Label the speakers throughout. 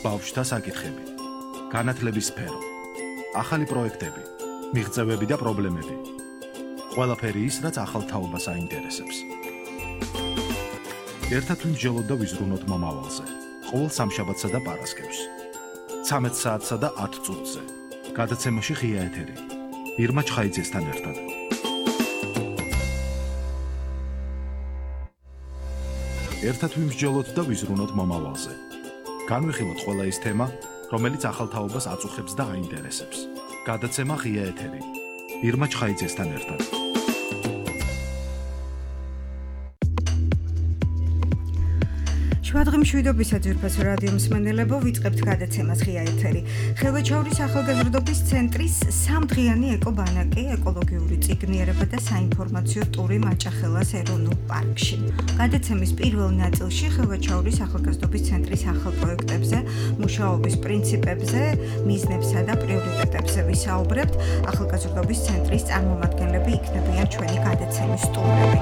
Speaker 1: ბავშვთა საკითხები, განათლების სფერო, ახალი პროექტები, მიღწევები და პრობლემები. ყველაფერი ის, რაც ახალ თაობას აინტერესებს. ერთად ვიმსჯელოთ და ვიზრუნოთ მომავალზე. ყოველ სამშაბათსა და პარასკევს. 13 საათსა და 10 წუთზე. გადაცემაში ღია ეთერი. ირმა ჩხაიძესთან ერთად. ერთად ვიმსჯელოთ და ვიზრუნოთ მომავალზე. განვიხილოთ ყველა ის თემა, რომელიც ახალ თაობას აწუხებს და აინტერესებს. გადაცემა ღია ეთერი. ირმა ჩხაიძესთან ერთად.
Speaker 2: შუადღემშვიდობისა ძვირფასო რადიო მსმენელებო, ვიწყებთ გადაცემას ღია ეთერი. ხელვაჩაურის ახალგაზრდობის ცენტრის სამდღიანი ეკობანაკი, ეკოლოგიური წიგნიერება და საინფორმაციო ტური მაჭახელას ეროვნულ პარკში. გადაცემის პირველ ნაწილში ხელვაჩაურის ახალგაზრდობის ცენტრის ახალ პროექტებზე, მუშაობის პრინციპებზე, მიზნებსა და პრიორიტეტებზე ვისაუბრებთ. ახალგაზრდობის ცენტრის წარმომადგენლები იქნებიან ჩვენი გადაცემის სტუმრები.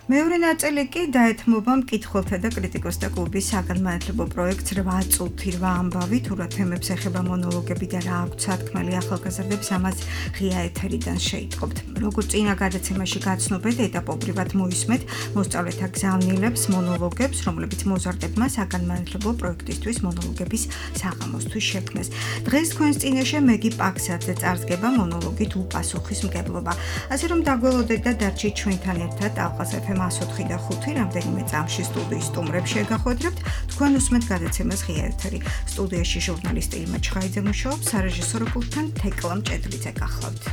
Speaker 2: მეორე ნაწილი კი დაეთმობა მკითხველთა და კრიტიკოსთა კლუბის საგანმანათლებლო პროექტს 8 წუთი 8 ამბავი, თუ რა თემებს ეხება მონოლოგები და რა აქვთ სათქმელი ახალგაზრდებს, ამას ღია ეთერიდან შეიტყობთ. როგორც წინა გადაცემაში გაცნობეთ, ეტაპობრივად მოისმეთ მოსწავლეთა გზავნილებს, მონოლოგებს, რომლებიც მოზარდებმა საგანმანათლებლო პროექტისთვის მონოლოგების საღამოსთვის შექმნეს. დღეს თქვენს წინაშე მეგი პაქსაძე წარსდგება მონოლოგით უპასუხისმგებლობა. ასე რომ დაგველოდეთ და დარჩით ჩვენთან ერთად ალყას FM 104 და 5 რამდენიმე წამში სტუდიის სტუმრებს შეგახვედრებთ. თქვენ უსმენთ გადაცემას ღია ეთერი. სტუდიაში ჟურნალისტი ირმა ჩხაიძე მუშაობს, სარეჟისორო პულტთან თეკლა მჭედლიძე გახლავთ.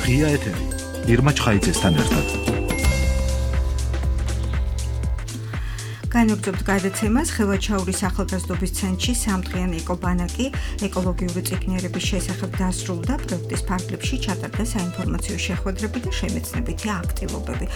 Speaker 1: ღია ეთერი. ირმა ჩხაიძესთან ერთად.
Speaker 2: განაგრძობთ გადაცემას ხელვაჩაურის ახალგაზრდობის ცენტრში სამდღიანი ეკობანაკი, ეკოლოგიური წიგნიერების შესახებ დასრულდა პროექტის ფარგლებში ჩატარდა საინფორმაციო შეხვედრები და შემეცნებითი აქტივობები.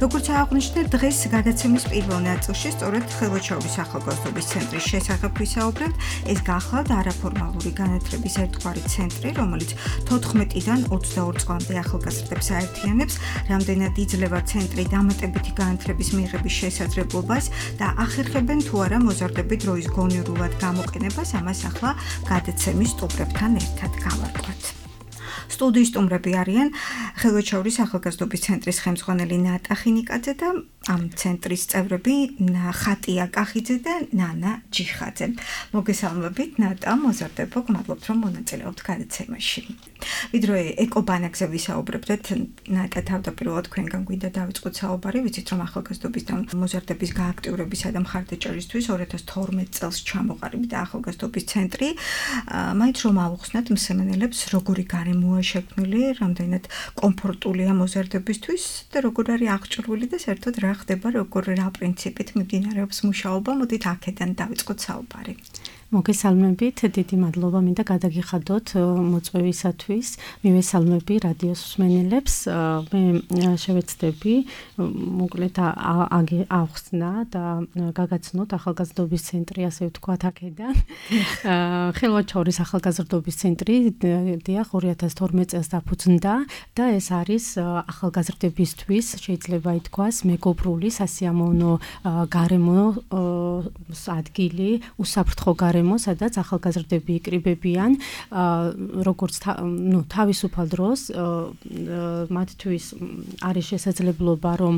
Speaker 2: როგორც აღნიშნეთ, დღეს გადაცემის პირველ ნაწილში სწორედ ხელვაჩაურის ახალგაზრდობის ცენტრის შესახებ ვისაუბრებთ. ეს გახლავთ არაფორმალური განათლების ერთგვარი ცენტრი, რომელიც 14-დან 22 წლამდე ახალგაზრდებს აერთიანებს. რამდენად იძლევა ცენტრი დამატებითი განათლების მიღების შესაძლებლობას და ახერხებენ თუ არა მოზარდები დროის გონივრულად გამოყენებას, ამას ახლა გადაცემის სტუმრებთან ერთად გავარკვევთ. სტუდიის სტუმრები არიან ხელვაჩაურის ახალგაზრდობის ცენტრის ხელმძღვანელი ნატა ხინიკაძე და ამ ცენტრის წევრები ხატია კახიძე და ნანა ჯიხაძე. მოგესალმებით ნატა, მოზარდებო, გმადლობთ რომ მონაწილეობთ გადაცემაში. ვიდრე ეკობანაკზე ვისაუბრებდეთ, ნატა თავდაპირველად თქვენგან გვინდა დავიწყოთ საუბარი, ვიცით რომ ახალგაზრდობის და მოზარდების გააქტიურებისა და მხარდაჭერისთვის 2012 წელს ჩამოყალიბდა ახალგაზრდობის ცენტრი. მაინც რომ ავუხსნათ მსმენელებს, როგორი გარემოა შექმნილი, რამდენად კომფორტულია მოზარდებისთვის და როგორ არის აღჭურვილი და საერთოდ რა ხდება, როგორ რა პრინციპით მიმდინარეობს მუშაობა, მოდით აქედან დავიწყოთ საუბარი.
Speaker 3: მოგესალმებით, დიდი მადლობა მინდა გადაგიხადოთ მოწვევისათვის. მივესალმები რადიოს მსმენელებს. მე შევეცდები მოკლედ ავხსნა და გაგაცნოთ ახალგაზრდობის ცენტრი, ასე ვთქვათ, აქედან. ხელვაჩაურის ახალგაზრდობის ცენტრი 2012 წელს დაფუძნდა და ეს არის ახალგაზრდებისთვის, შეიძლება ითქვას, მეგობრული სასიამოვნო გარემო ადგილი, უსაფრთხო გარემო, სადაც ახალგაზრდები იკრიბებიან, როგორც თავისუფალ დროს მათთვის არის შესაძლებლობა, რომ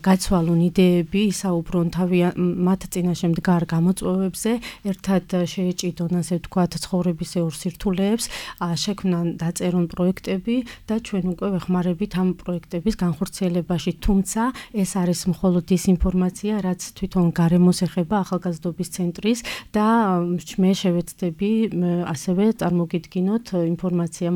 Speaker 3: გაცვალონ იდეები, ისაუბრონ მათ წინაშე მდგარ გამოწვევებზე, ერთად შეეჭიდონ, ასე ვთქვათ, ცხოვრებისეულ სირთულეებს, შექმნან დაწერონ პროექტები და ჩვენ უკვე ვეხმარებით ამ პროექტების განხორციელებაში. თუმცა ეს არის მხოლოდ ის ინფორმაცია, რაც თვითონ გარემოს ეხება ახალგაზრდობის ცენტრის და მე შევეცდები ასევე წარმოგიდგინოთ ინფორმაცია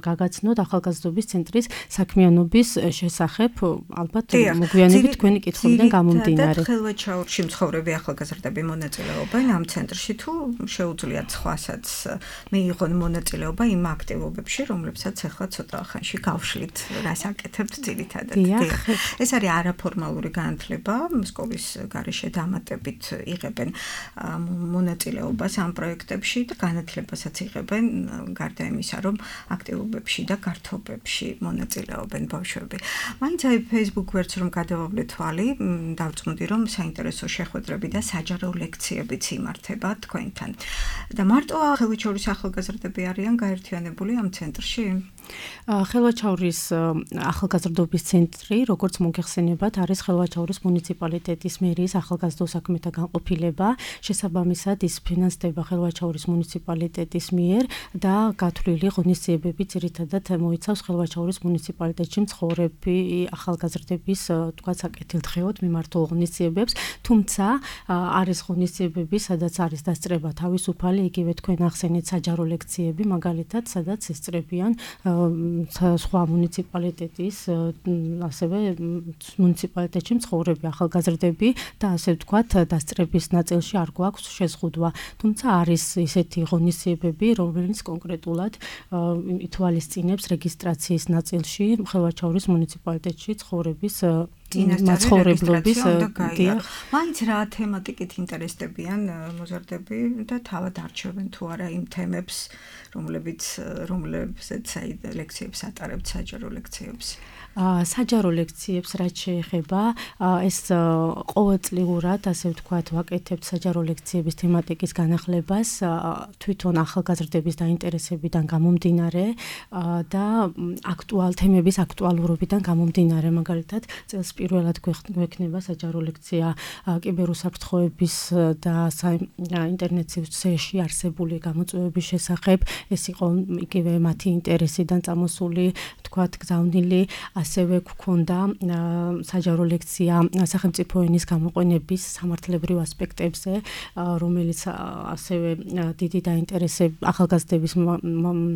Speaker 3: გაგაცნოთ ახალგაზრდობის ცენტრის საქმიანობის შესახებ, ალბათ მოგვიანებით თქვენი კითხვებიდან გამომდინარე.
Speaker 2: ხელვაჩაურში მცხოვრები ახალგაზრდები მონაწილეობენ ამ ცენტრში, თუ შეუძლიათ სხვასაც მიიღონ მონაწილეობა იმ აქტივობებში, რომლებსაც ახლა ცოტა ხანში გავშლით, რას აკეთებთ ძირითადად. ეს არის არაფორმალური განათლება, სკოლის გარეშე დამატებით იღებენ მონაწილეობას მონაწილეობას ამ პროექტებში და განათლებასაც იღებენ გარდა იმისა, რომ აქტივობებში და გართობებში მონაწილეობენ ბავშვები. მაინც აი Facebook ვერც რომ გადავავლე თვალი, დავწმუნდი რომ საინტერესო შეხვედრები და საჯარო ლექციებიც იმართება თქვენთან. და მარტო ხელვაჩაურის ახალგაზრდები არიან გაერთიანებული ამ ცენტრში?
Speaker 3: ხელვაჩაურის ახალგაზრდობის ცენტრი, როგორც მოგეხსენებათ, არის ხელვაჩაურის მუნიციპალიტეტის მერიის ახალგაზრდულ საქმეთა განყოფილება. შესაბამისად, ის ფინანსდება ხელვაჩაურის მუნიციპალიტეტის მიერ და გათვლილი ღონისძიებები ძირითადად მოიცავს ხელვაჩაურის მუნიციპალიტეტში მცხოვრები ახალგაზრდების თქვათ საკეთილდღეოდ მიმართულ ღონისძიებებს, თუმცა არის ღონისძიებები, სადაც არის დასწრება თავისუფალი, იგივე თქვენ ახსენეთ საჯარო ლექციები, მაგალითად, სადაც ესწრებიან სხვა მუნიციპალიტეტის, ასევე მუნიციპალიტეტში მცხოვრები ახალგაზრდები და ასე ვთქვათ, დასწრების ნაწილში არ გვაქვს შეზღუდვა. თუმცა არის ისეთი ღონისძიებები, რომელიც კონკრეტულად ითვალისწინებს რეგისტრაციის ნაწილში ხელვაჩაურის მუნიციპალიტეტში ცხოვრების მაცხოვრებლობის
Speaker 2: დიახ. მაინც რა თემატიკით ინტერესდებიან მოზარდები და თავად არჩევენ თუ არა იმ თემებს, რომლებზეც ლექციებს ატარებთ, საჯარო ლექციებს?
Speaker 3: საჯარო ლექციებს რაც შეეხება, ეს ყოველწლიურად, ასე ვთქვათ, ვაკეთებთ საჯარო ლექციების თემატიკის განახლებას თვითონ ახალგაზრდების დაინტერესებიდან გამომდინარე და თემების აქტუალურობიდან გამომდინარე. მაგალითად, წელს პირველად გვექნება საჯარო ლექცია კიბერუსაფრთხოების და ინტერნეტში არსებული გამოწვევების შესახებ. ეს იყო იგივე მათი ინტერესიდან წამოსული, ვთქვათ, გზავნილი. ასევე გვქონდა საჯარო ლექცია სახელმწიფო ენის გამოყენების სამართლებრივ ასპექტებზე, რომელიც ასევე დიდი ახალგაზრდების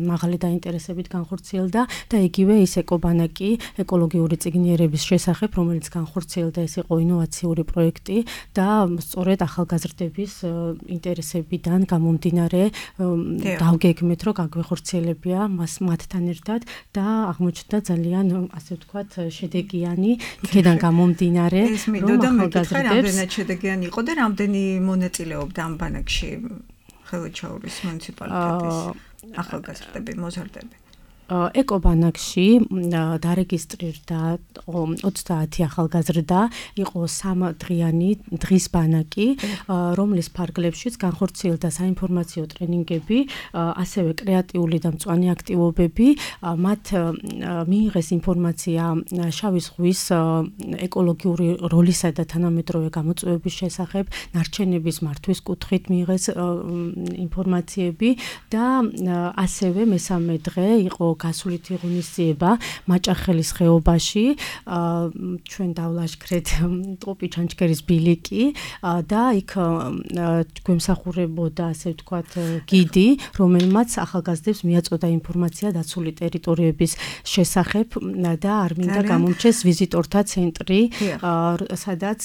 Speaker 3: მაღალი დაინტერესებით განხორციელდა და იგივე ის ეკობანაკი ეკოლოგიური წიგნიერების შესახებ, რომელიც განხორციელდა, ეს იყო ინოვაციური პროექტი და სწორედ ახალგაზრდების ინტერესებიდან გამომდინარე დავგეგმეთ, რომ გაგვეხორციელებია მათთან ერთად და აღმოჩნდა ძალიან ასე ვთქვათ, შედეგიანი, იქიდან გამომდინარე,
Speaker 2: რომ ახალგაზრდებს რამდენად შედეგიანი იყო და რამდენი მონაწილეობდა ამ ბანაკში ხელვაჩაურის მუნიციპალიტეტის ახალგაზრდები, მოზარდები?
Speaker 3: ეკობანაკში დარეგისტრირდა 30 ახალგაზრდა, იყო 3 დღიანი დღის ბანაკი, რომლის ფარგლებშიც განხორციელდა საინფორმაციო ტრენინგები, ასევე კრეატიული და მწვანე აქტივობები. მათ მიიღეს ინფორმაცია შავი ზღვის ეკოლოგიური როლისა და თანამედროვე გამოწვევების შესახებ, ნარჩენების მართვის კუთხით მიიღეს ინფორმაციები და ასევე მესამე დღე იყო გასულითი ღონისძიება მაჭახელის ხეობაში, ჩვენ დავლაშქრეთ ტოპი ჩანჩქერის ბილიკი და იქ გვემსახურებოდა, ასე ვთქვათ, გიდი, რომელმაც ახალგაზრდებს მიაწოდა ინფორმაცია დაცული ტერიტორიების შესახებ და არ მინდა გამომჩეს ვიზიტორთა ცენტრი, სადაც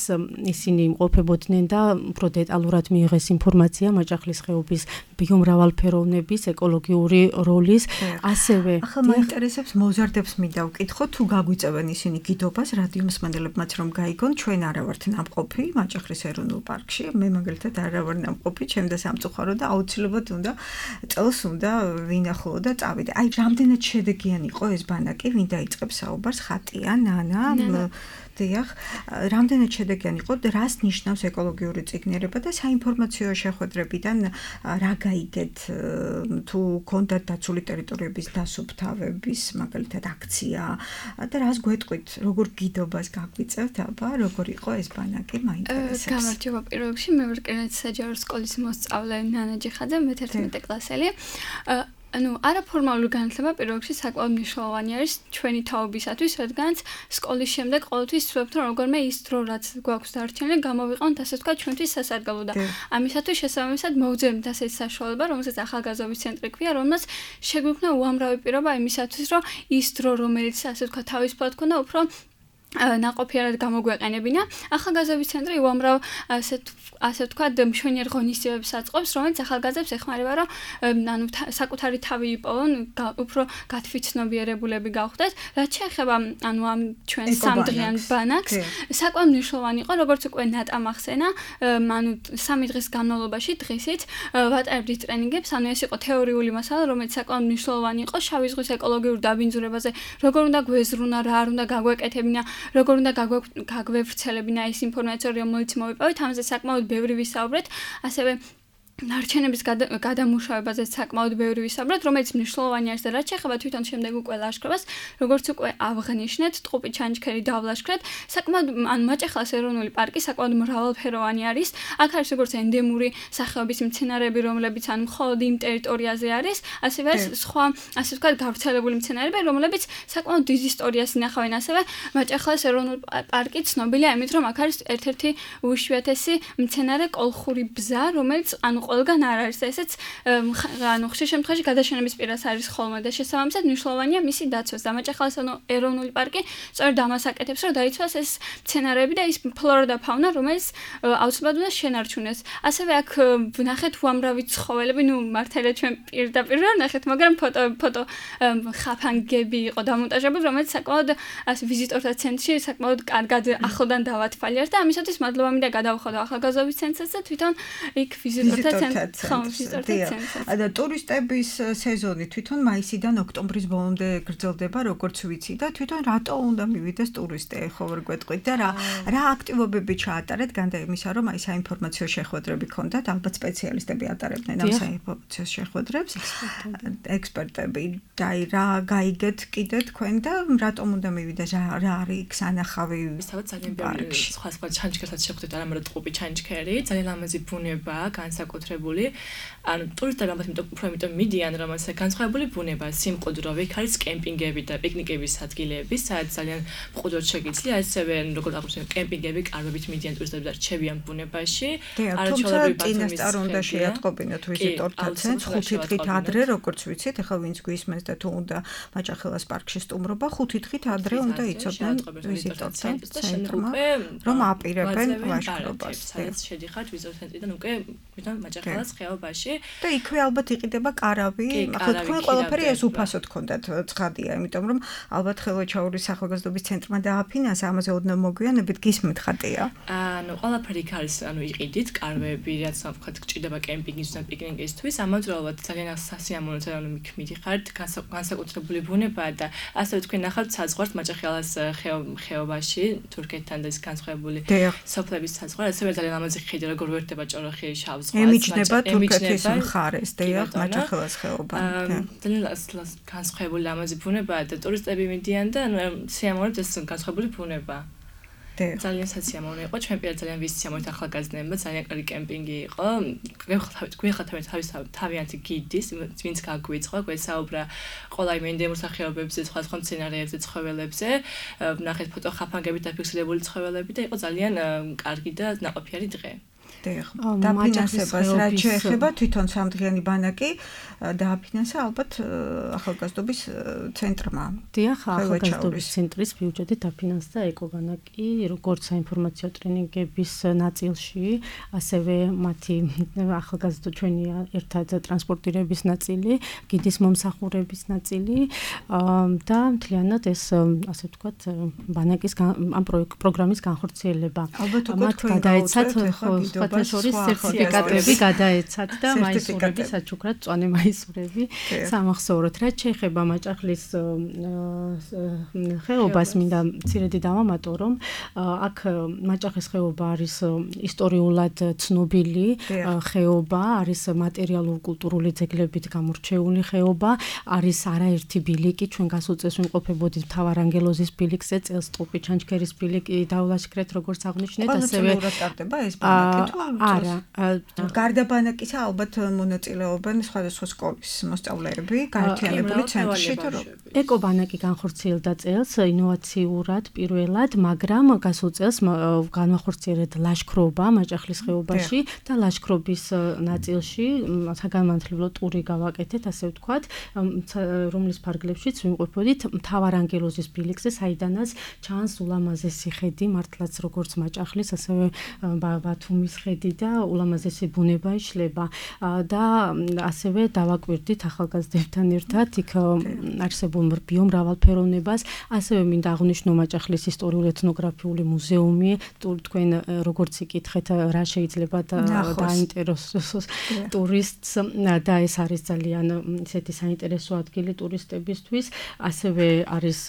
Speaker 3: ისინი იმყოფებოდნენ და უფრო დეტალურად მიიღეს ინფორმაცია მაჭახლის ხეობის ბიომრავალფეროვნების ეკოლოგიური როლის, ასევე
Speaker 2: ახლა მაინტერესებს მოზარდებს მინდა ვკითხო, თუ გაგვიწევენ ისინი გიდობას რადიო მსმენელებმაც რომ გაიგონ, ჩვენ არა ვართ ნამყოფი მაჭახლის ეროვნულ პარკში, მე მაგალითად არა ვარ ნამყოფი, ჩემ და სამწუხარო და აუცილებლად წელს უნდა ვინახულო და წავიდე. აი, რამდენად შედეგიანი იყო ეს ბანაკი, ვინ დაიწყებს საუბარს, ხატია, ნანა, დიახ, რამდენად შედეგიანი იყო და რას ნიშნავს ეკოლოგიური წიგნიერება და საინფორმაციო შეხვედრებიდან რა გაიგეთ, თუ გქონდათ დაცული ტერიტორიების დასუფთავების მაგალითად აქცია და რას გვეტყვით, როგორ გიდობას გაგვიწევთ, აბა, როგორ იყო ეს ბანაკი, მაინტერესებს.
Speaker 4: გამარჯობა პირველ რიგში, მე ვარ კერნეთის საჯარო სკოლის მოსწავლე ნანა ჯიხაძე, მე-11 კლასელი. არაფორმალური განათლება პირველ რიგში საკმაოდ მნიშვნელოვანი არის ჩვენი თაობისათვის, რადგანაც სკოლის შემდეგ ყოველთვის ვცდილობთ, რომ როგორმე ის დრო, რაც გვაქვს დარჩენილი, გამოვიყენოთ, ასე ვთქვათ, ჩვენთვის სასარგებლო და ამისათვის შესაბამისად მოვძებნით ასეთ საშუალება, რომელსაც ახალგაზრდობის ცენტრი ქვია, რომელსაც შეგვიქმნა უამრავი პირობა იმისათვის, რომ ის დრო, რომელიც ასე ვთქვათ, თავისუფლად ქონდა, უფრო ნაყოფიერად გამოგვეყენებინა. ახალგაზრდობის ცენტრი უამრავ ასე ვთქვათ, მშვენიერ ღონისძიებებს აწყობს, რომელიც ახალგაზრდებს ეხმარება, რომ ანუ საკუთარი თავი იპოვონ, უფრო გათვითცნობიერებულები გავხდეთ. რაც შეეხება ანუ ამ ჩვენ სამდღიან ბანაკს, საკმაოდ მნიშვნელოვანი იყო, როგორც უკვე ნატამ ახსენა, ანუ 3 დღის განმავლობაში დღისით ვატარებდით ტრენინგებს, ანუ ეს იყო თეორიული მასალა, რომელიც საკმაოდ მნიშვნელოვანი იყო შავი ზღვის ეკოლოგიურ დაბინძურებაზე, როგორ უნდა გვეზრუნა, რა არ უნდა გაგვეკეთებინა, როგორ უნდა გაგვევრცელებინა ის ინფორმაცია, რომელიც მოვიპოვეთ, ამაზე საკმაოდ ბევრი ვისაუბრეთ, ასევე ნარჩენების გადამუშავებაზე საკმაოდ ბევრი ვისაუბრეთ, რომელიც მნიშვნელოვანი არის და რაც შეეხება თვითონ შემდეგ უკვე ლაშქრობას, როგორც უკვე აღნიშნეთ, ტყუპი ჩანჩქერი დავლაშქრეთ, საკმაოდ ანუ მაჭახელის ეროვნული პარკი საკმაოდ მრავალფეროვანი არის. აქ არის როგორც ენდემური სახეობის მცენარეები, რომლებიც ანუ მხოლოდ იმ ტერიტორიაზე არის, ასევე არის სხვა, ასე ვთქვათ, გავრცელებული მცენარეები, რომლებიც საკმაოდ დიდ ისტორიას ინახავენ. ასევე მაჭახელის ეროვნული პარკი ცნობილია იმით, რომ აქ არის ერთ-ერთი უიშვიათესი მცენარე კოლხური ბზა, რომელიც ანუ ყველგან არ არის და ესეც ანუ ხშირ შემთხვევაში გადაშენების პირას არის ხოლმე და შესაბამისად მნიშვნელოვანია მისი დაცვა. დამაჭახელის ეროვნული პარკი სწორედ ამას აკეთებს, რომ დაიცვას ეს მცენარეები და ის ფლორა და ფაუნა, რომელიც აუცილებლად უნდა შენარჩუნდეს. ასევე აქ ვნახეთ უამრავი ცხოველები, ნუ მართალია ჩვენ პირდაპირ ვერ ვნახეთ, მაგრამ ფოტო ხაფანგები იყო დამონტაჟებული, რომელიც საკმაოდ ვიზიტორთა ცენტრში საკმაოდ კარგად ახლდან დავათვალიერთ და ამისათვის მადლობა მინდა გადავხადო ახალგაზრდობის ცენტრსაც და თვითონ იქ ვიზიტორთა
Speaker 2: და ტურისტების სეზონი თვითონ მაისიდან ოქტომბრის ბოლომდე გრძელდება, როგორც ვიცი და თვითონ რატო უნდა მივიდეს ტურისტი, ხო ვერ გვეტყვით და რა აქტივობები ჩაატარეთ, განდა იმისა, რომ აი საინფორმაციო შეხვედრები ქონდათ, ალბათ სპეციალისტები ატარებდნენ ამ საინფორმაციო შეხვედრებს, ექსპერტები და რა გაიგეთ კიდე თქვენ და რატომ უნდა მივიდეს, რა არის სანახავი
Speaker 5: ძალიან ბევრი სხვა ჩანჩქერსაც შეხვდეთ, არამედ ტყუპი ჩანჩქერი, ძალიან ლამაზი ბუნება, განსაკუთრებული. ანუ ტურისტები ალბათ იმიტომ მიდიან, რომ ასე განსხვავებული ბუნება, სიმყუდრო, იქ არის კემპინგები და პიკნიკების ადგილები, სადაც ძალიან მყუდროდ შეგიძლია, ასევე როგორც აღნიშნეთ, კემპინგები კარგებით მიდიან ტურისტები და რჩებიან ბუნებაში.
Speaker 2: არაჩვეულებრივი წინასწარ უნდა შეატყობინოთ ვიზიტორთა ცენტრს 5 დღით ადრე, როგორც ვიცით, ახლა ვინც გვისმენს და თუ უნდა მაჭახელას პარკში სტუმრობა, 5 დღით ადრე უნდა იცოდნენ ვიზიტორთა ცენტრმა, რომ აპირებენ ლაშქრობას.
Speaker 5: სადაც შედიხართ ვიზიტორთა ცენტრიდან უკვე ვიდან მაჭახელას ხეობაში
Speaker 2: და იქვე ალბათ იყიდება კარავი, ახლა თქვენ ყველაფერი ეს უფასოდ გქონდათ, ცხადია, იმიტომ რომ ალბათ ხელვაჩაურის ახალგაზრდობის ცენტრმა დააფინანსა, ამაზე ოდნავ მოგვიანებით გისმენთ ხატია.
Speaker 5: ანუ ყველაფერი არის, ანუ იყიდით, კარვები, რაც ვთქვათ, გჭირდება კემპინგის და პიკნიკისთვის, ამავდროულად ძალიან სასიამოვნო ანუ მიდიხართ, განსაკუთრებული ბუნებაა და ასევე თქვენ ნახავთ საზღვარს მაჭახელას ხეობაში, თურქეთთან და ის განსხვავებული სოფლების საზღვარი, ასევე ძალიან ლამაზი ხიდი, როგორ ვერდება ჭოროხი შავ ზღვას.
Speaker 2: ემიჯნება თურქეთის მხარეს, დიახ, მაჭახელას ხეობა.
Speaker 5: ძალიან განსხვავებული ლამაზი ბუნებაა და ტურისტები მიდიან და ანუ სიამოვნებთ ეს განსხვავებული ბუნება. ძალიან სასიამოვნო იყო, ჩვენ პირად ძალიან ვისიამოვნებთ ახალგაზრდებმა, ძალიან კარგი კემპინგი იყო. გვიხართ თავიანთი გიდის, ვინც გაგვიწყო, გვესაუბრა ყველა იმ ენდემურ სახეობებზე, სხვა მცენარეებზე, ცხოველებზე, ვნახეთ ფოტო ხაფანგებით დაფიქსირებული ცხოველები და იყო ძალიან კარგი და ნაყოფიერი დღე.
Speaker 2: დაფინანსებას რაც შეეხება თვითონ სამდღიანი ბანაკი დააფინანსა ალბათ ახალგაზრდობის ცენტრმა.
Speaker 3: დიახ, ახალგაზრდობის ცენტრის ბიუჯეტით დაფინანსდა ეკობანაკი, როგორც საინფორმაციო ტრენინგების ნაწილში, ასევე მათი ახალგაზრდო ჩვენი ერთად ტრანსპორტირების ნაწილი, გიდის მომსახურების ნაწილი და მთლიანად ეს ასე ვთქვათ ბანაკის ამ პროგრამის განხორციელება.
Speaker 2: ალბათ უკვე თქვენ
Speaker 3: გადაეცათ შორის სერტიფიკატები გადაეცათ და მაისურები საჩუქრად წვანე მაისურები სამახსოვროდ. რაც შეეხება მაჭახლის ხეობას, მინდა მცირედი დავამატო, რომ აქ მაჭახის ხეობა არის ისტორიულად ცნობილი ხეობა, არის მატერიალურ-კულტურული ძეგლებით გამორჩეული ხეობა, არის არაერთი ბილიკი, ჩვენ გასულ წელს ვიმყოფებოდით მთავარანგელოზის ბილიკზე, წელს ტყუპი ჩანჩქერის ბილიკი დავლაშქრეთ, როგორც აღნიშნეთ, ასევე
Speaker 2: სტარტდება ეს ბანაკი
Speaker 3: არა.
Speaker 2: გარდა ბანაკისა ალბათ მონაწილეობენ სხვადასხვა სკოლის მოსწავლეები გაერთიანებული ცენტრში თუ რა.
Speaker 3: ეკობანაკი განხორციელდა წელს ინოვაციურად პირველად, მაგრამ გასულ წელს განახორციელდა ლაშქრობა მაჭახლის ხეობაში და ლაშქრობის ნაწილში საგანმანათლებლო ტური გავაკეთეთ, ასე ვთქვათ, რომლის ფარგლებშიც ვიმყოფოდით მთავარანგელოზის ბილიქზე, საიდანაც ჩანს ულამაზესი ხედი, მართლაც როგორც მაჭახლის, ასევე ბათუმის ხედი და ულამაზესი ბუნება იშლება და ასევე დავაკვირდით ახალგაზრდებთან ერთად იქ არსებულ ბიომრავალფეროვნებას, ასევე მინდა აღვნიშნო მაჭახლის ისტორიული ეთნოგრაფიული მუზეუმი, თქვენ როგორც იკითხეთ, რა შეიძლება დაინტერესოს ტურისტს და ეს არის ძალიან ისეთი საინტერესო ადგილი ტურისტებისთვის, ასევე არის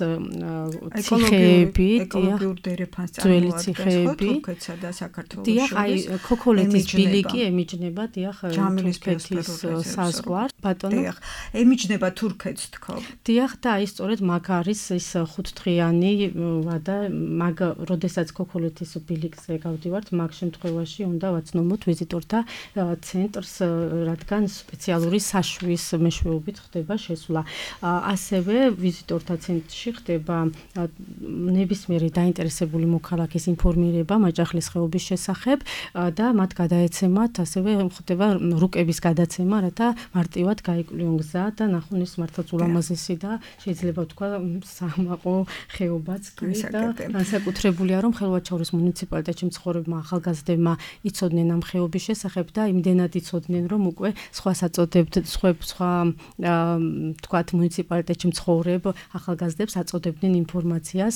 Speaker 3: ციხეები,
Speaker 2: ეკოლოგიური დერეფანს
Speaker 3: წარმოადგენს
Speaker 2: თურქეთსა და საქართველოს
Speaker 3: შორის. აი ქოქოლეთის ბილიკი ემიჯნება თურქეთის საზღვარს. ბატონო.
Speaker 2: ემიჯნება თურქეთს თქო.
Speaker 3: დიახ და აი სწორედ მაგ არის ის ხუთდღიანი ვადა, მაგ როდესაც ქოქოლეთის ბილიკზე გავდივართ, მაგ შემთხვევაში უნდა ვაცნობოთ ვიზიტორთა ცენტრს, რადგან სპეციალური საშვის მეშვეობით ხდება შესვლა. ასევე ვიზიტორთა ცენტრში ხდება ნებისმიერი დაინტერესებული მოქალაქის ინფორმირება მაჭახლის ხეობის შესახებ და მათ გადაეცემათ, ასევე ხდება რუკების გადაცემა, რათა მარტივად გაიკვლიონ გზა და ნახონ ის მართლაც ულამაზესი და შეიძლება ვთქვა სამაყო ხეობაც კი და განსაკუთრებულია, რომ ხელვაჩაურის მუნიციპალიტეტში მცხოვრებმა ახალგაზრდებმა იცოდნენ ამ ხეობის შესახებ და იმდენად იცოდნენ, რომ უკვე სხვა საწოდებთ, სხვა ვთქვათ მუნიციპალიტეტში მცხოვრებ ახალგაზრდებს აწოდებდნენ ინფორმაციას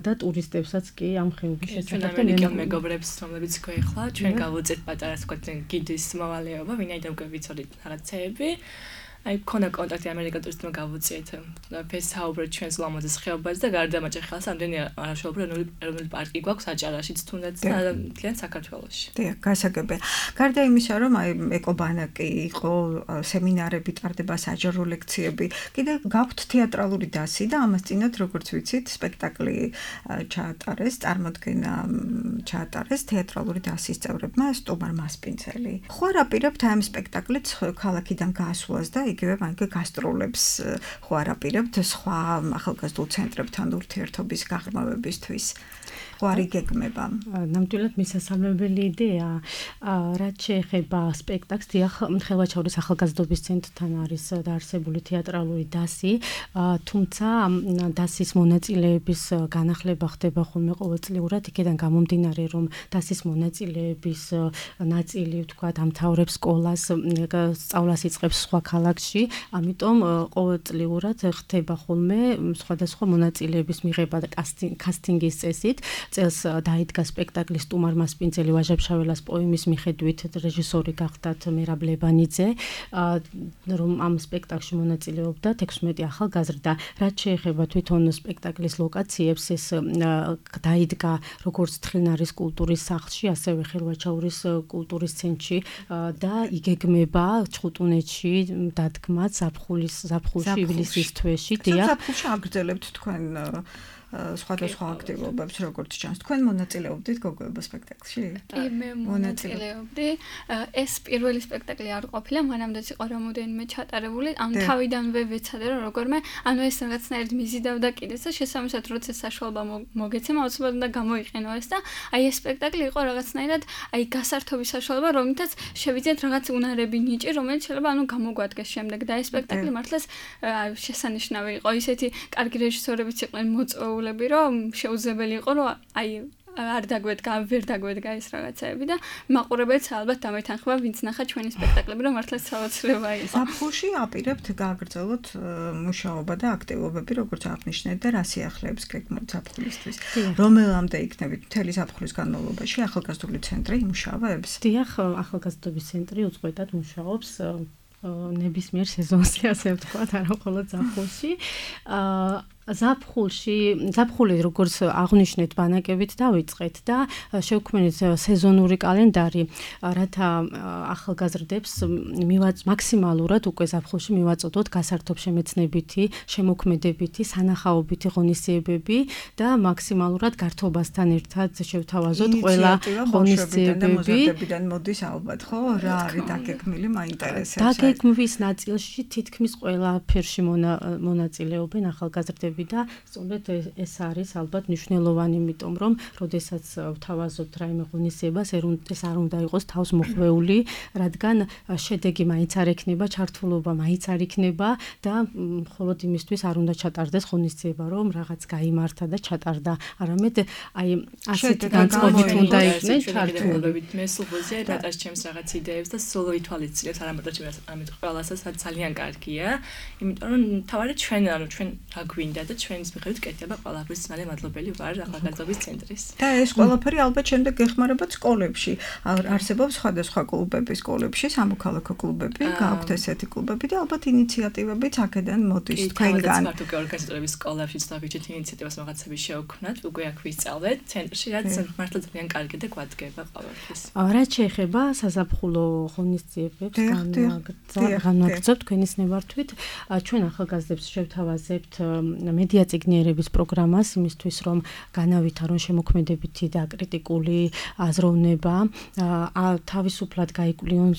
Speaker 3: და ტურისტებსაც კი ამ ხეობის შესახებ და
Speaker 5: მეგობრებს, რომლებიც გვეხლა, ჩვენ გავუწევთ პატარა ვთქვათ გიდის მოვალეობა, ვინაიდან გვევიცოდით რაღაცეები. აი ქონა კონტაქტი ამერიკა ტურისტმა გავუწიეთ ფესაუბრეთ ჩვენს ულამაზეს ხეობას და გარდა მაჭახელს ამდენი არაშობრი ეროვნული პარკი გვაქვს აჭარაშიც თუნდაც და მთლიან საქართველოში.
Speaker 2: დიახ, გასაგებია. გარდა იმისა, რომ აი ეკობანაკი იყო, სემინარები ტარდება, საჯარო ლექციები, კიდე გაქვთ თეატრალური დასი და ამას წინათ როგორც ვიცით, სპექტაკლი ჩაატარეს, წარმოდგენა ჩაატარეს თეატრალური დასის წევრებმა სტუმარ მასპინძელი. ხო არ აპირებთ ამ სპექტაკლით ქალაქიდან გასვლას და იგივე მაგ გასტროლებს ხო არ აპირებთ სხვა ახალგაზრდულ ცენტრებთან ურთიერთობის გაღრმავებისთვის. ხო არ იგეგმება.
Speaker 3: ნამდვილად მისასალმებელი იდეა. რაც შეეხება სპექტაკლს, დიახ, ხელვაჩაურის ახალგაზრდობის ცენტრთან არის დაარსებული თეატრალური დასი, თუმცა დასის მონაწილეების განახლება ხდება ხოლმე ყოველწლიურად, იქიდან გამომდინარე, რომ დასის მონაწილეების ნაწილი, ვთქვათ, ამთავრებს სკოლას, სწავლას იწყებს სხვა ქალაქში, ამიტომ ყოველწლიურად ხდება ხოლმე სხვადასხვა მონაწილეების მიღება და კასტინგის წესით. წელს დაიდგა სპექტაკლი სტუმარ მასპინძელი ვაჟა-ფშაველას პოემის მიხედვით რეჟისორი გახდათ მერაბ ლებანიძე, რომ ამ სპექტაკლში მონაწილეობდა 16 ახალგაზრდა. რაც შეეხება თვითონ სპექტაკლის ლოკაციებს, ეს დაიდგა როგორც თხილნარის კულტურის სახლში, ასევე ხელვაჩაურის კულტურის ცენტრში და იგეგმება ჩხუტუნეთში დადგმაც ზაფხულში ივლისის თვეში.
Speaker 2: დიახ, ზაფხულში აგრძელებთ თქვენ სხვადასხვა აქტივობებს, როგორც ჩანს. თქვენ მონაწილეობდით გოგოება სპექტაკლში?
Speaker 4: კი, მე მონაწილეობდი. ეს პირველი სპექტაკლი არ ყოფილა, მანამდეც იყო რამოდენიმე ჩატარებული. ამ თავიდანვე ვეცადე, რომ როგორმე, ანუ ეს რაღაცნაირად მიზიდავდა კიდეც და შესაბამისად, როცა საშუალება მოგეცემა, აუცილებლად უნდა გამოიყენო ეს და აი ეს სპექტაკლი იყო რაღაცნაირად აი გასართობის საშუალება, რომლითაც შევიძინეთ რაღაც უნარები ნიჭი, რომელიც შეიძლება ანუ გამოგვადგეს შემდეგ და ეს სპექტაკლი მართლაც შესანიშნავი იყო. ისეთი კარგი რეჟისორებიც იყვნენ მოწვეული რომ შეუძლებელი იყო რომ აი არ დაგვედგა, ვერ დაგვედგა ეს რაღაცეები და მაყურებელს ალბათ დამეთანხმება, ვინც ნახა ჩვენი სპექტაკლები, რომ მართლაც საოცრება იყო.
Speaker 2: ზაფხულში აპირებთ გააგრძელოთ მუშაობა და აქტივობები, როგორც აღნიშნეთ და რა სიახლეებს გეგმავთ ზაფხულისთვის. რომელამდე იქნებით მთელი ზაფხულის განმავლობაში ახალგაზრდული ცენტრი იმუშავებს?
Speaker 3: დიახ, ახალგაზრდობის ცენტრი უწყვეტად მუშაობს ნებისმიერ სეზონში, ასე ვთქვათ, არა მხოლოდ ზაფხულში. ზაფხული როგორც აღნიშნეთ ბანაკებით დავიწყეთ და შევქმნით სეზონური კალენდარი, რათა ახალგაზრდებს მაქსიმალურად უკვე ზაფხულში მივაწოდოთ გასართობშემეცნებითი, შემოქმედებითი, სანახაობითი ღონისძიებები და მაქსიმალურად გართობასთან ერთად შევთავაზოთ ყველა ღონისძიებები.
Speaker 2: მოდის ალბათ, ხო? რა არის დაგეგმილი, მაინტერესებს.
Speaker 3: დაგეგმვის ნაწილში თითქმის ყველაფერში მონაწილეობენ ახალგაზრდები და სწორედ ეს არის ალბათ მნიშვნელოვანი, იმიტომ რომ როდესაც ვთავაზობთ რაიმე ღონისძიებას, ეს არ უნდა იყოს თავს მოხვეული, რადგან შედეგი მაინც არ ექნება, ჩართულობა მაინც არ იქნება და მხოლოდ იმისთვის არ უნდა ჩატარდეს ღონისძიება, რომ რაღაც გაიმართა და ჩატარდა, არამედ აი ასეთი განწყობით უნდა იქნეს ჩართულები.
Speaker 5: მე სულზე რატაშ ჩემს რაღაც იდეებს და სოლო ითვალისწინებს, არამედ ჩემს ამით ყველასაც ძალიან კარგია, იმიტომ რომ თავარი ჩვენ რა გვინდა და ჩვენის მიხედვით კეთება ყველაფრის მალე მადლობელი ვარ ახალგაზრდობის ცენტრის.
Speaker 2: და ეს ყველაფერი ალბათ შემდეგ გეხმარება სკოლებში. არსებობს სხვადასხვა კლუბები სკოლებში, სამოქალაქო კლუბები, გააქვთ ესეთი კლუბები და ალბათ ინიციატივებიც აქედან მოდის თქვენგან.
Speaker 5: მარტო ორგანიზატორების სკოლებში დავიჭერთ ინიციატივას რაღაცები შევქმნათ, უკვე აქ ვისწავლეთ ცენტრში, რაც მართლა ძალიან კარგი და გვადგება ყველაფრის.
Speaker 3: რაც შეეხება საზაფხულო ღონისძიებებს, განვაგრძობთ თქვენის ნებართვით, ჩვენ ახალგაზრდებს შევთავაზებთ მედია წიგნიერების პროგრამას იმისთვის, რომ განავითარონ შემოქმედებითი და კრიტიკული აზროვნება, თავისუფლად გაიკვლიონ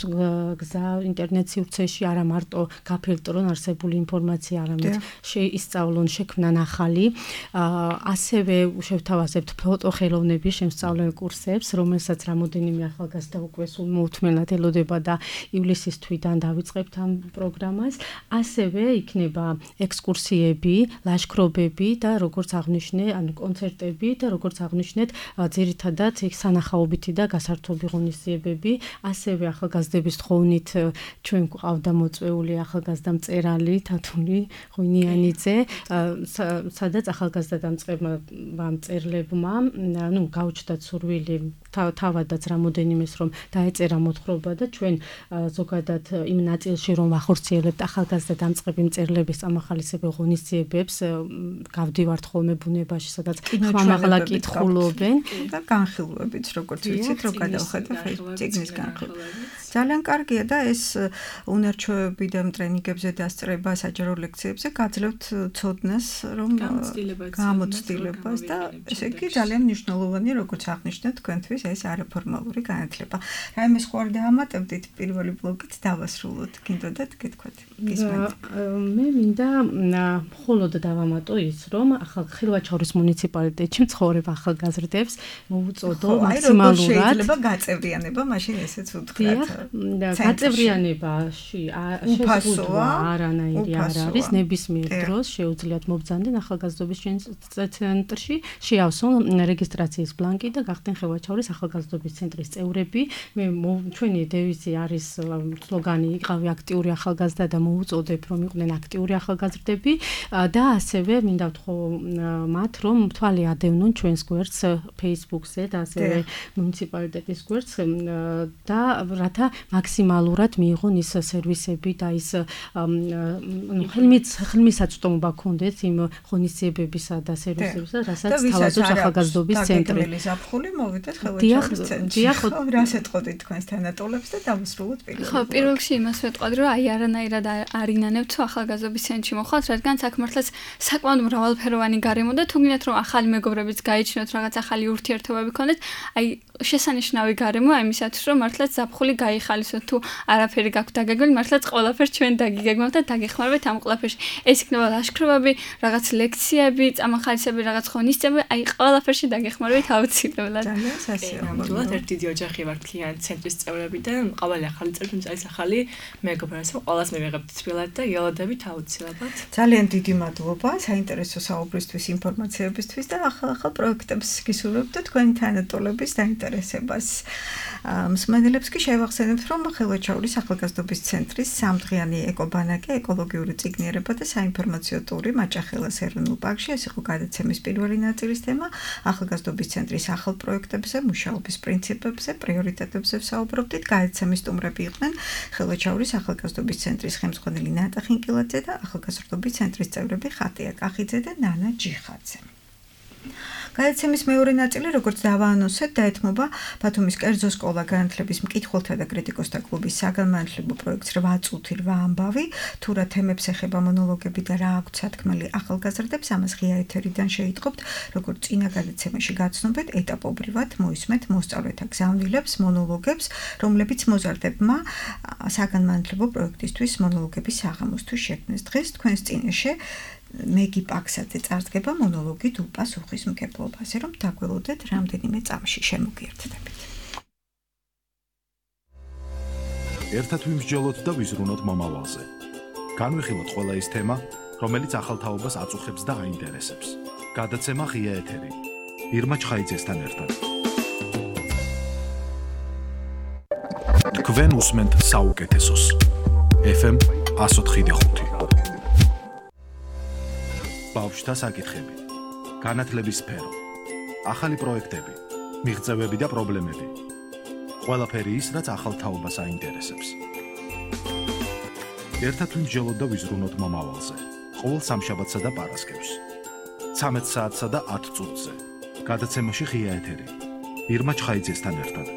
Speaker 3: გზა ინტერნეტ სივრცეში, არა მარტო გაფილტრონ არსებული ინფორმაცია, არამედ შეისწავლონ, შექმნან ახალი. ასევე შევთავაზებთ ფოტოხელოვნების შემსწავლელ კურსებს, რომელსაც რამოდენიმე ახალგაზრდა უკვე სულ მოუთმენლად ელოდება და ივლისის თვიდან დავიწყებთ ამ პროგრამას. ასევე იქნება ექსკურსიები, ლაშქრობები და როგორც აღვნიშნე, ანუ კონცერტები და როგორც აღვნიშნეთ, ძირითადად სანახაობითი და გასართობი ღონისძიებები. ასევე ახალგაზრდების თხოვნით ჩვენ გვყავდა მოწვეული ახალგაზრდა მწერალი თათული ღვინიანიძე, სადაც ახალგაზრდა მწერლებმა, გაუჩნდათ სურვილი თავადაც რამოდენიმეს რომ დაეწერა მოთხრობა და ჩვენ ზოგადად იმ ნაწილში რომ ვახორციელებთ ახალგაზრდა დამწყები მწერლების წამახალისებელ ღონისძიებებს, გავდივართ ხოლმე ბუნებაში, სადაც ხმამაღლა კითხულობენ
Speaker 2: და განხილვებიც, როგორც ვიცით, რომ გადავხედა წიგნის განხილვებიც. ძალიან კარგია და ეს უნარჩვევები და ტრენინგებზე დასწრება, საჯარო ლექციებზე გაძლევთ ცოდნას, რომ გამოცდილებას და ესე იგი ძალიან მნიშვნელოვანია, როგორც აღნიშნეთ, თქვენთვის ეს არაფორმალური განათლება. რაიმე სხვა არ დაამატებდით პირველი ბლოკით დავასრულოთ, გინდოდათ გეთქვათ?
Speaker 3: მე მინდა მხოლოდ დავამატო ის, რომ ხილვაჩაურის მუნიციპალიტეტში მცხოვრებ ახალგაზრდებს მოუწოდო მაქსიმალურად
Speaker 2: შეიძლება გაწევრიანება, მაშინ ესეც უთხრათ.
Speaker 3: გაწევრიანებაში შეუძლია არანაირი არ არის, ნებისმიერ დროს შეუძლიათ მობრძანდნენ ახალგაზრდობის ცენტრში, შეავსონ რეგისტრაციის ბლანკი და გახდნენ ხილვაჩაურის ახალგაზრდობის ცენტრის წევრები. ჩვენი დევიზი არის სლოგანი იყავი აქტიური ახალგაზრდა და მოუწოდებ რომ იყვნენ აქტიური ახალგაზრდები და ასევე მინდა ვთქო მათ რომ თვალი ადევნონ ჩვენს გვერდს Facebook-ზე და ასევე მუნიციპალიტეტის გვერდს და რათა მაქსიმალურად მიიღონ ის სერვისები და ის ხელმისაწვდომობა ქონდეთ იმ ღონისძიებებისა და სერვისებისა, რასაც თავაზობს ახალგაზრდობის ცენტრი.
Speaker 2: ზაფხული მოვიდეთ ხილვაჩაურის ცენტრში. რას ეთყოდით თქვენს თანატოლებს და დავასრულოთ პირველ.
Speaker 4: ხო, პირველ რიგში იმას ვეთყოდი, რომ აი არანაირად არ ინანებთ თუ ახალგაზრდობის ცენტრში მოხვალთ, რადგან აქ მართლაც საკმაოდ მრავალფეროვანი გარემო და თუ გინდათ რომ ახალი მეგობრებიც გაიჩინოთ, რაღაც ახალი ურთიერთობები ქონდეთ, აი შესანიშნავი გარემო ამისათვის, რომ მართლაც ზაფხული გაიხალისოთ, თუ არაფერი გაქვთ დაგეგმილი, მართლაც ყველაფერს ჩვენ დაგიგეგმავთ და დაგეხმარებთ ამ ყველაფერში. ეს იქნება ლაშქრობები, რაღაც ლექციები, წამახალისები, რაღაც ღონისძიებები, აი ყველაფერში დაგეხმარებით აუცილებლად.
Speaker 2: ძალიან სასიამოვნო.
Speaker 5: ერთი დიდი ოჯახი ვართ ქლიანტ ცენტრის წევრები და ყოველი ახალი წევრი არის ახალი მეგობრები, ყველას მივიღებთ თბილად და ელოდებით აუცილებლად.
Speaker 2: ძალიან დიდი მადლობა საინტერესო საუბრისთვის, ინფორმაციებისთვის და ახალ პროექტებს გისურვებთ თქვენი თანატოლების დაინტერესებით. გაინტერესებას. მსმენელებს კი შევახსენებთ, რომ ხელვაჩაურის ახალგაზრდობის ცენტრის სამდღიანი ეკობანაკი, ეკოლოგიური წიგნიერება და საინფორმაციო ტური მაჭახელას ეროვნულ პარკში. ეს იყო გადაცემის პირველი ნაწილის თემა. ახალგაზრდობის ცენტრის ახალ პროექტებზე, მუშაობის პრინციპებზე, პრიორიტეტებზე ვსაუბრობდით. გადაცემის სტუმრები იყვნენ ხელვაჩაურის ახალგაზრდობის ცენტრის ხელმძღვანელი ნატა ხინკილაძე და ახალგაზრდობის ცენტრის წევრები ხატია კახიძე და ნანა ჯიხაძე. გადაცემის მეორე ნაწილი, როგორც დავაანონსეთ, დაეთმობა ბათუმის კერძო სკოლა განათლების მკითხველთა და კრიტიკოსთა კლუბის საგანმანათლებლო პროექტს 8 წუთი 8 ამბავი, თუ რა თემებს ეხება მონოლოგები და რა აქვთ სათქმელი ახალგაზრდებს, ამას ღია ეთერიდან შეიტყობთ, როგორც წინა გადაცემაში გაცნობეთ, ეტაპობრივად მოისმენთ მოსწავლეთა გზავნილებს, მონოლოგებს, რომლებიც მოზარდებმა საგანმანათლებლო პროექტისთვის მონოლოგების საღამოსთვის შექმნეს. დღეს თქვენს წინაშე მეგი პაქსაძე წარსდგება მონოლოგი უპასუხისმგებლობაზე, რომ დაგველოდეთ რამდენიმე წამში შემოგიერთდებით.
Speaker 1: ერთად ვიმსჯელოთ და ვიზრუნოთ მომავალზე. განვიხილოთ ყველა ის თემა, რომელიც ახალ თაობას აწუხებს და აინტერესებს. გადაცემა ღია ეთერი. ირმა ჩხაიძესთან ერთად. თქვენ უსმენთ საუკეთესოს. FM 104.5. ბავშვთა საკითხები, განათლების სფერო, ახალი პროექტები, მიღწევები და პრობლემები. ყველაფერი ის, რაც ახალ თაობას აინტერესებს. ერთად ვიმსჯელოთ და ვიზრუნოთ მომავალზე. ყოველ სამშაბათსა და პარასკევს. 13 საათსა და 10 წუთზე. გადაცემაში ღია ეთერი. ირმა ჩხაიძესთან ერთად.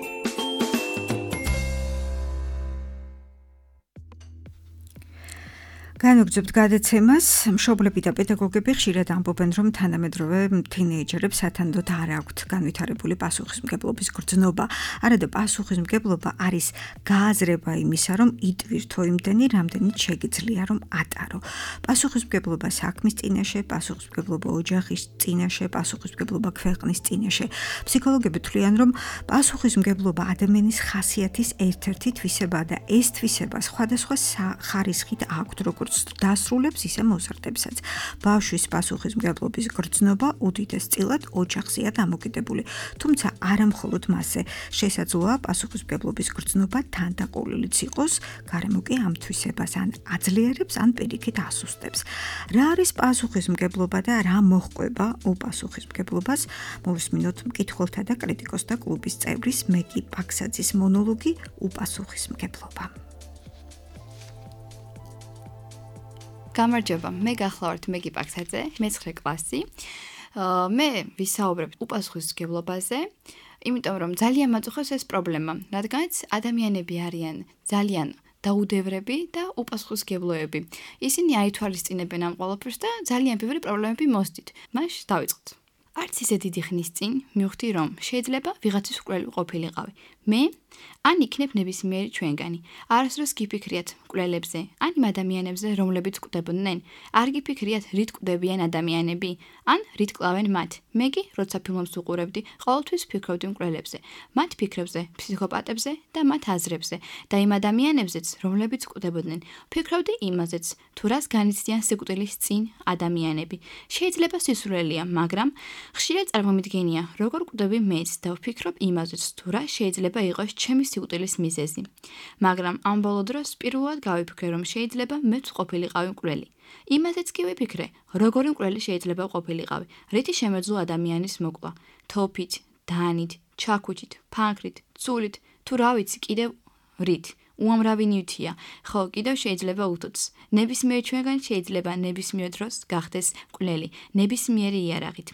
Speaker 2: განვგრძობთ გადაცემას. მშობლები და პედაგოგები ხშირად ამბობენ, რომ თანამედროვე თინეიჯერებს სათანადოდ არ აქვთ განვითარებული პასუხისმგებლობის გრძნობა. არა და პასუხისმგებლობა არის გააზრება იმისა, რომ იტვირთო იმდენი, რამდენიც შეგიძლია რომ ატარო. პასუხისმგებლობა საქმის წინაშე, პასუხისმგებლობა ოჯახის წინაშე, პასუხისმგებლობა ქვეყნის წინაშე. ფსიქოლოგები თვლიან, რომ პასუხისმგებლობა ადამიანის ხასიათის ერთ-ერთი თვისებაა და ეს თვისება სხვადასხვა ხარისხით აქვთ, როგორც დასრულებს ისე მოზარდებსაც. ბავშვის პასუხისმგებლობის გრძნობა უდიდეს წილად ოჯახზეა დამოკიდებული. თუმცა არა მხოლოდ მასზე შესაძლოა პასუხისმგებლობის გრძნობა თანდაყოლილიც იყოს, გარემო კი ამ თვისებას ან აძლიერებს, ან პირიქით ასუსტებს. რა არის პასუხისმგებლობა და რა მოჰყვება უპასუხისმგებლობას? მოვისმინოთ მკითხველთა და კრიტიკოსთა კლუბის წევრის მეგი პაქსაძის მონოლოგი უპასუხისმგებლობა.
Speaker 6: გამარჯობა, მე გახლავართ მეგი პაქსაძე, მე-9 კლასი. მე ვისაუბრებ უპასუხისმგებლობაზე, იმიტომ რომ ძალიან მაწუხებს ეს პრობლემა, რადგანაც ადამიანები არიან ძალიან დაუდევრები და უპასუხისმგებლოები. ისინი აითვალისწინებენ ამ ყველაფერს და ძალიან ბევრი პრობლემები მოსდით. მაშ დავიწყოთ. არც ისე დიდი ხნის წინ მივხვდი, რომ შეიძლება ვიღაცის მკვლელი ყოფილიყავი. მე ან იქნებ ნებისმიერი ჩვენგანი. არასდროს გიფიქრიათ მკვლელებზე, ან იმ ადამიანებზე, რომლებიც კვდებოდნენ. არ გიფიქრიათ, რით კვდებიან ადამიანები, ან რით კლავენ მათ. მე კი, როცა ფილმებს ვუყურებდი, ყოველთვის ვფიქრობდი მკვლელებზე, მათ ფიქრებზე, ფსიქოპატებზე და მათ აზრებზე და იმ ადამიანებზეც, რომლებიც კვდებოდნენ. ვფიქრობდი იმაზეც, თუ რას განიცდიან სიკვდილის წინ ადამიანები. შეიძლება სისულელეა, მაგრამ ხშირად წარმომიდგენია, როგორ კვდები მეც და ვფიქრობ იმაზეც, თუ რა შეიძლება იყოს ჩემი სიკვდილის მიზეზი. მაგრამ ამ ბოლო დროს პირველად გავიფიქრე, რომ შეიძლება მეც ყოფილიყავი მკვლელი. იმაზეც კი ვიფიქრე, როგორი მკვლელი შეიძლება ყოფილიყავი, რითი შემეძლო ადამიანის მოკვლა, თოფით, დანით, ჩაქუჩით, ფანქრით, ცულით, თუ რა ვიცი, კიდევ რით. უამრავი ნივთია, ხო, კიდევ შეიძლება უთოც. ნებისმიერ ჩვენგან შეიძლება ნებისმიერ დროს გახდეს მკვლელი, ნებისმიერი იარაღით.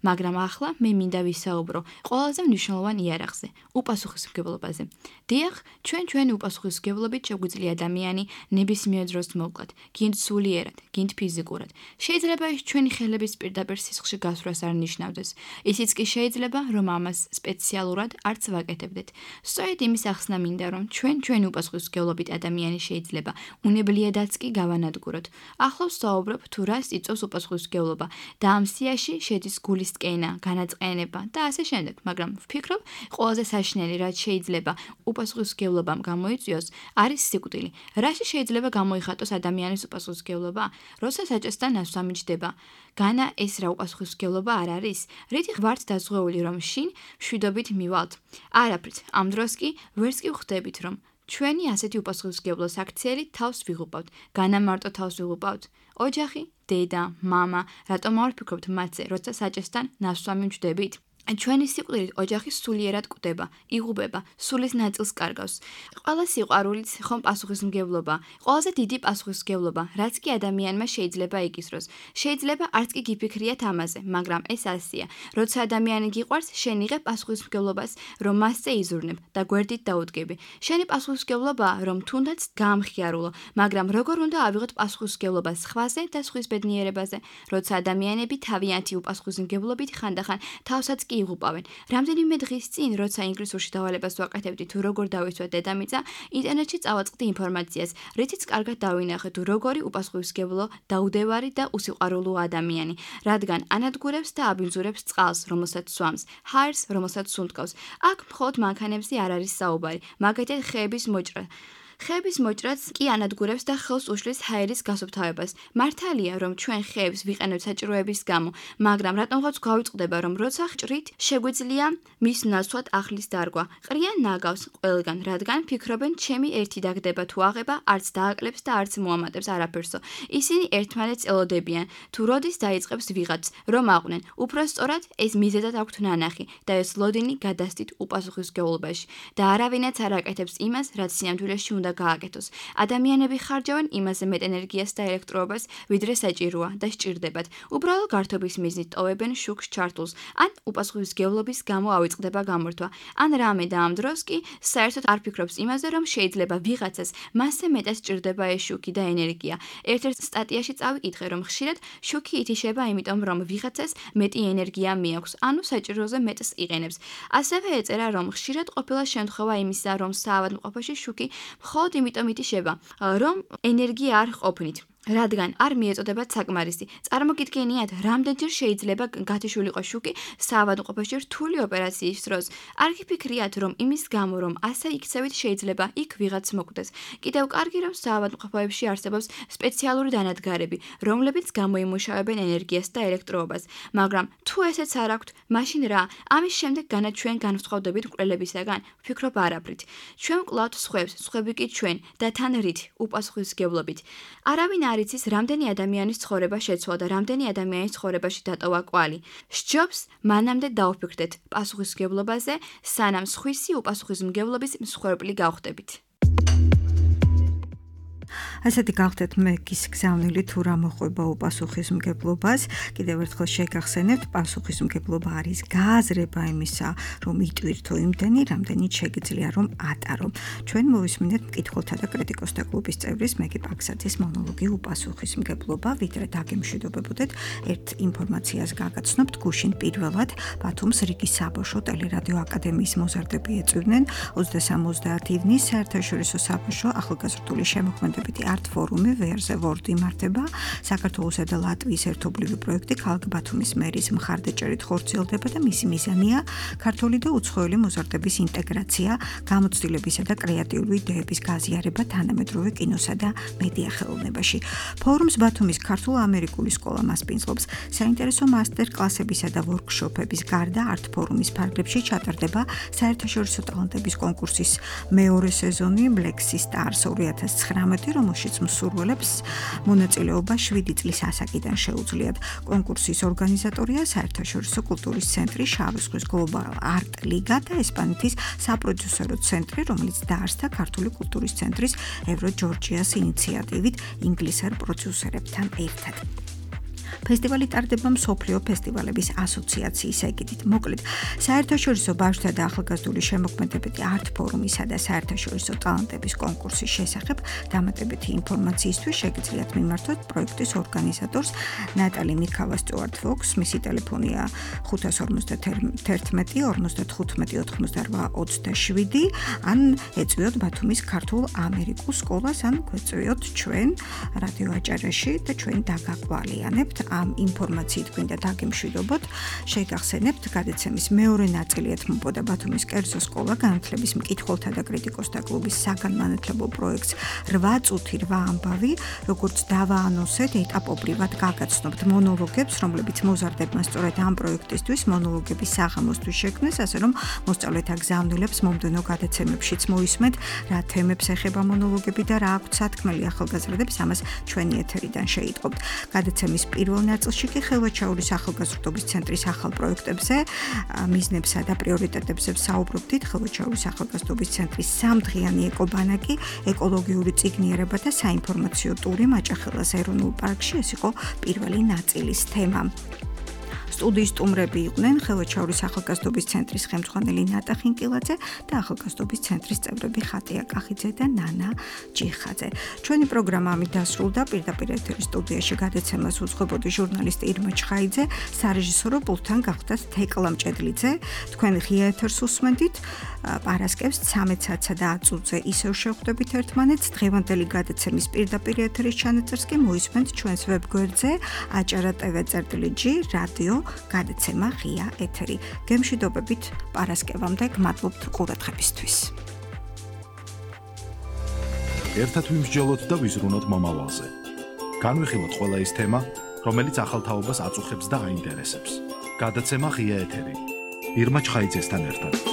Speaker 6: მაგრამ ახლა მე მინდა ვისაუბრო ყველაზე მნიშვნელოვან იარაღზე, უპასუხისმგებლობაზე. დიახ, ჩვენი უპასუხისმგებლობით შეგვიძლია ადამიანი ნებისმიერ დროს მოვკლათ, გინდ სულიერად, გინდ ფიზიკურად. შეიძლება ის ჩვენი ხელების პირდაპირ სისხლში გასვლას არ ნიშნავდეს. ისიც კი შეიძლება, რომ ამას სპეციალურად არც ვაკეთებდეთ. სწორედ იმის ახსნა მინდა, რომ ჩვენი უპასუხისმგებლობა უპასუხისმგებლობით ადამიანი შეიძლება უნებლიადაც კი გავანადგუროთ. ახლავს საუბრობ თუ რას იწვევს უპასუხისმგებლობა და ამ სიაში შედის გულის ტკენა, განაწყენება და ასე შემდეგ, მაგრამ ვფიქრობ, ყველაზე საშინელი რაც შეიძლება უპასუხისმგებლობამ გამოიწვიოს, არის სიკვდილი. რაში შეიძლება გამოიხატოს ადამიანის უპასუხისმგებლობა? როცა საჭესთან ნასვამი ჯდება. განა ეს რა უპასუხისმგებლობა არ არის? რითი ვართ დაზღვეული რომ შინ მშვიდობით მივალთ? არაფრით. ამ დროს კი ვერც კი ვხვდებით რომ ჩვენი ასეთი უპასუხისმგებლო საქციელი თავს ვიღუპავთ. განა მარტო თავს ვიღუპავთ? ოჯახი, დედა, მამა, რატომ არ ვფიქრობთ მათზე, როცა საჭესთან ნასვამი ვჯდებით? ჩვენი სიკვდილით ოჯახი სულიერად კვდება, იღუპება, სულის ნაწილს კარგავს. ყველა სიყვარულიც ხომ პასუხისმგებლობა, ყველაზე დიდი პასუხისმგებლობა, რაც კი ადამიანმა შეიძლება იკისროს. შეიძლება არც კი გიფიქრიათ ამაზე, მაგრამ ეს ასია. როცა ადამიანი გიყვარს, შენ იღებ პასუხისმგებლობას, რომ მასზე იზრუნებ და გვერდით დაუდგები. შენი პასუხისმგებლობაა, რომ თუნდაც გაამხიარულო, მაგრამ როგორ უნდა ავიღოთ პასუხისმგებლობა სხვაზე და სხვის ბედნიერებაზე, როცა ადამიანები თავიანთი უპასუხისმგებლობით ხანდახან თავსაც იღუპავენ. რამდენიმე დღის წინ, როცა ინგლისურში დავალებას ვაკეთებდი თუ როგორ დავიცვა დედამიწა, ინტერნეტში წავაწყდი ინფორმაციას, რითიც კარგად დავინახე თუ როგორი უპასუხისმგებლო, დაუდევარი და უსიყვარულო ადამიანი, რადგან ანადგურებს და აბინძურებს წყალს, რომელსაც სვამს, ჰაერს, რომელსაც სუნთქავს. აქ მხოლოდ მანქანებზე არ არის საუბარი, მაგალითად ხეების მოჭრა. ხეების მოჭრაც კი ანადგურებს და ხელს უშლის ჰაერის გასუფთავებას. მართალია, რომ ჩვენ ხეებს ვიყენებთ საჭიროების გამო, მაგრამ რატომღაც გვავიწყდება, რომ როცა ჭრით, შეგვიძლია მის ნაცვლად ახლის დარგვა. ყრიან ნაგავს ყველგან, რადგან ფიქრობენ, ჩემი ერთი დაგდება თუ აღება, არც დააკლებს და არც მოამატებს არაფერსო. ისინი ერთმანეთს ელოდებიან, თუ როდის დაიწყებს ვიღაც, რომ აყვნენ. უფრო სწორად, ეს მიზეზად აქვთ ნანახი და ეს ლოდინი გადასდით უპასუხისმგებლობაში და არავინაც არ აკეთებს იმას, რაც სიამთვილეში უნდა გააკეთოს. ადამიანები ხარჯავენ იმაზე მეტ ენერგიას და ელექტროობას, ვიდრე საჭიროა და სჭირდებათ. უბრალო გართობის მიზნით ტოვებენ შუქს ჩართულს, ან უპასუხისმგებლობის გამო ავიწყდება გამორთვა. ან რამე და ამ დროს კი საერთოდ არ ფიქრობს იმაზე, რომ შეიძლება ვიღაცას მასზე მეტად სჭირდება ეს შუქი და ენერგია. ერთ-ერთ სტატიაში წავიკითხე, რომ ხშირად შუქი ითიშება იმიტომ, რომ ვიღაცას მეტი ენერგია მიაქვს, ანუ საჭიროზე მეტს იყენებს. ასევე ეწერა, რომ ხშირად ყოფილა შემთხვევა იმისა, რომ საავადმყოფოში შუქი მხოლოდ იმიტომ ითიშება, რომ ენერგია არ ყოფნით. რადგან არ მიეწოდებათ საკმარისი. წარმოგიდგენიათ, რამდენჯერ შეიძლება გათიშულიყო შუქი საავადმყოფოში რთული ოპერაციის დროს. არ გიფიქრიათ, რომ იმის გამო, რომ ასე იქცევით, შეიძლება იქ ვიღაც მოკვდეს. კიდევ კარგი, რომ საავადმყოფოებში არსებობს სპეციალური დანადგარები, რომლებიც გამოიმუშავებენ ენერგიას და ელექტროობას. მაგრამ თუ ესეც არ აქვთ, მაშინ რა? ამის შემდეგ განა ჩვენ განვსხვავდებით მკვლელებისაგან? ვფიქრობ არაფრით. ჩვენ ვკლავთ სხვებს, სხვები კი ჩვენ და თან რით უპასუხისმგებლობით. არავინ არ იცის, რამდენი ადამიანის ცხოვრება შეცვალა და რამდენი ადამიანის ცხოვრებაში დატოვა კვალი. სჯობს მანამდე დავფიქრდეთ პასუხისმგებლობაზე, სანამ სხვისი უპასუხისმგებლობის მსხვერპლი გავხდებით.
Speaker 2: ასეთი გავხდეთ მეგის გზავნილი თუ რა მოყვება უპასუხისმგებლობას. კიდევ ერთხელ შეგახსენებთ, პასუხისმგებლობა არის გააზრება იმისა, რომ იტვირთო იმდენი, რამდენიც შეგიძლია რომ ატარო. ჩვენ მოვისმინეთ მკითხველთა და კრიტიკოსთა კლუბის წევრის მეგი პაქსაძის მონოლოგი უპასუხისმგებლობა, ვიდრე დაგემშვიდობებოდეთ, ერთ ინფორმაციას გაგაცნობთ. გუშინ პირველად ბათუმს რიგის საბავშვო ტელერადიო აკადემიის მოზარდები ეწვივნენ 23-30 ივნის საერთაშორისო საბავშვო ახალგაზრდული შემოქმედებითი არტ ფორუმი ვერზე ვორდ იმართება. საქართველოსა და ლატვიის ერთობლივი პროექტი ქალაქ ბათუმის მერის მხარდაჭერით ხორციელდება და მისი მიზანია ქართული და უცხოელი მოზარდების ინტეგრაცია, გამოცდილებისა და კრეატიული იდეების გაზიარება თანამედროვე კინოსა და მედია ხელოვნებაში. ფორუმს ბათუმის ქართულ-ამერიკული სკოლა მასპინძლობს. საინტერესო მასტერ-კლასებისა და ვორქშოპების გარდა არტ ფორუმის ფარგლებში ჩატარდება საერთაშორისო ტალანტების კონკურსის მეორე სეზონი Black Stars 2019, რომელშიც მსურველებს მონაწილეობა 7 წლის ასაკიდან შეუძლიათ. კონკურსის ორგანიზატორია საერთაშორისო კულტურის ცენტრი, შავი ზღვის Global Art Liga და ესპანეთის საპროდიუსერო ცენტრი, რომელიც დაარსდა ქართული კულტურის ცენტრის Euro Georgia's ინიციატივით ინგლისელ პროდიუსერებთან ერთად. ფესტივალი ტარდება მსოფლიო ფესტივალების ასოციაციის ეგიდით. მოკლედ, საერთაშორისო ბავშვთა და ახალგაზრდული შემოქმედებითი არტ ფორუმისა და საერთაშორისო ტალანტების კონკურსის შესახებ დამატებითი ინფორმაციისთვის შეგიძლიათ მიმართოთ პროექტის ორგანიზატორს ნატალი მიქავა სტუარტ ფოქს, მისი ტელეფონია 551 55 88 ან ეწვიოთ ბათუმის ქართულ ამერიკულ სკოლას ან გვეწვიოთ ჩვენ რადიო აჭარაში და ჩვენ დაგაყვალიანებთ ამ ინფორმაციით გვინდა დაგემშვიდობოთ შეგახსენებთ გადაცემის მეორე ნაწილი ეთმობოდა ბათუმის კერძო სკოლა განათლების მკითხველთა და კრიტიკოსთა კლუბის საგანმანათლებლო პროექტს 8 წუთი 8 ამბავი როგორც დავაანონსეთ ეტაპობრივად გაგაცნობთ მონოლოგებს რომლებიც მოზარდებმა სწორედ ამ პროექტისთვის მონოლოგების საღამოსთვის შექმნეს ასე რომ მოსწავლეთა გზავნილებს მომდევნო გადაცემებშიც მოისმენთ რა თემებს ეხება მონოლოგები და რა აქვთ სათქმელი ახალგაზრდებს ამას ჩვენი ეთერიდან შეიტყობთ. გადაცემის პირველ ნაწილში კი ხელვაჩაურის ახალგაზრდობის ცენტრის ახალ პროექტებზე, მიზნებსა და პრიორიტეტებზე ვსაუბრობდით. ხელვაჩაურის ახალგაზრდობის ცენტრის 3 დღიანი ეკობანაკი, ეკოლოგიური წიგნიერება და საინფორმაციო ტური მაჭახელას ეროვნულ პარკში ეს იყო პირველი ნაწილის თემა. სტუდიის სტუმრები იყვნენ ხელვაჩაურის ახალგაზრდობის ცენტრის ხელმძღვანელი ნატა ხინკილაძე და ახალგაზრდობის ცენტრის წევრები ხატია კახიძე და ნანა ჯიხაძე. ჩვენი პროგრამა ამით დასრულდა. პირდაპირ ეთერის სტუდიაში გადაცემას უძღვებოდი ჟურნალისტი ირმა ჩხაიძე, სარეჟისორო პულტთან გახდათ თეკლა მჭედლიძე. თქვენ ღია ეთერს უსმენდით. პარასკევს 13-სა და 10 წუთზე ისევ შევხვდებით ერთმანეთს. დღევანდელი გადაცემის პირდაპირ ეთერის ჩანაწერს კი მოისმენთ ჩვენს ვებგვერდზე acara.tv/g რადიო გადაცემა ღია ეთერი. გემშვიდობებით პარასკევამდე გმადლობთ ყურადღებისთვის.
Speaker 1: ერთად ვიმსჯელოთ და ვიზრუნოთ მომავალზე. განვიხილოთ ყველა ის თემა, რომელიც ახალთაობას აწუხებს და აინტერესებს. გადაცემა ღია ეთერი. ირმა ჩხაიძესთან ერთად.